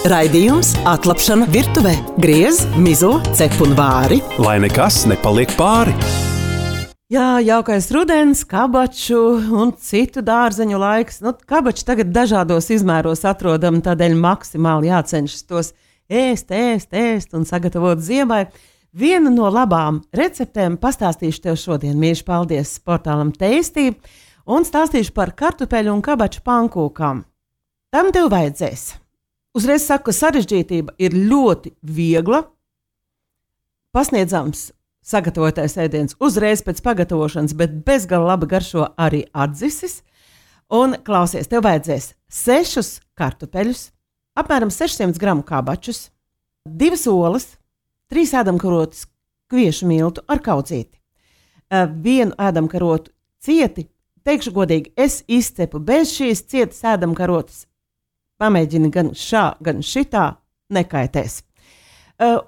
Raidījums Atlapšana virtuvē. Griez, mizo, cep un vāri. Lai nekas nepaliek pāri. Jā, jaukais rudens, kabaču un citu dārzeņu laiks. Kabači tagad dažādos izmēros atrodami, tādēļ maksimāli jācenšas tos ēst un sagatavot ziemai. Vienu no labām receptēm pastāstīšu tev šodien. Mīļš, paldies portālam Tasty un stāstīšu par kartupeļu un kabaču pankūkām. Tam tev vajadzēs. Uzreiz saku, ka sarežģītība ir ļoti viegla. Pasniedzams sagatavotais ēdiens uzreiz pēc pagatavošanas, bet bezgala labi garšo arī atdzisis. Un klausies, tev vajadzēs 6 kartupeļus, apmēram 600 gramu kabačus, 2 olas, 3 ēdamkarotes kviešu miltu ar kaudzīti, 1 ēdamkarotu cieti. Teikšu godīgi, es izcepu bez šīs cietas ēdamkarotes. Pamēģini gan šā, gan šitā, nekaitēs.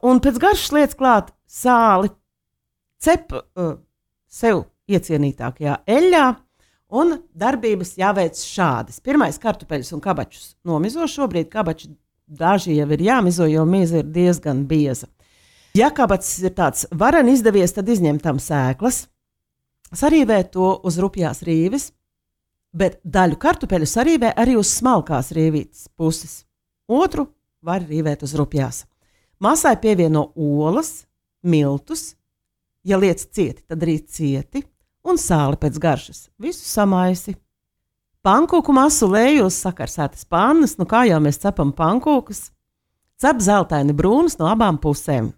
Un pēc garšas liec klāt sāli, cep sev iecienītākajā eļļā, un darbības jāveic šādas. Pirmais kartupeļus un kabačus nomizo. Šobrīd kabači daži jau ir jāmizo, jo miza ir diezgan bieza. Ja kabacis ir tāds varen izdevies, tad izņem tam sēklas, sarīvē to uz rupjās rīves, bet daļu kartupeļu sarīvē arī uz smalkās rīvītes puses. Otru var rīvēt uz rupjās. Masai pievieno olas, miltus, ja liec cieti, tad arī cieti, un sāli pēc garšas. Visu samaisi. Pankūku masu lēju uz sakarsētas pannas, kā jau mēs cepam pankūkus, cep zeltaini brūnas no abām pusēm.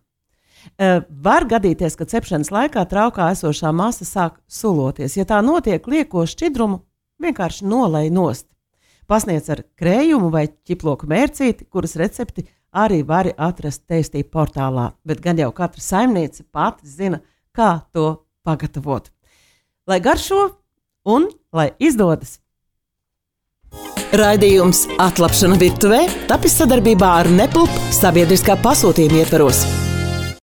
Var gadīties, ka cepšanas laikā traukā esošā masa sāk suloties. Ja tā notiek, lieko šķidrumu vienkārši nolej nost. Pasniedz ar krējumu vai ķiploku mērcīti, kuras recepti arī vari atrast Tasty portālā, bet gan jau katra saimniece pati zina, kā to pagatavot. Lai garšo un lai izdodas! Raidījums Atlapšana virtuvē tapis sadarbībā ar Nepulp sabiedriskā pasūtījuma ietvaros.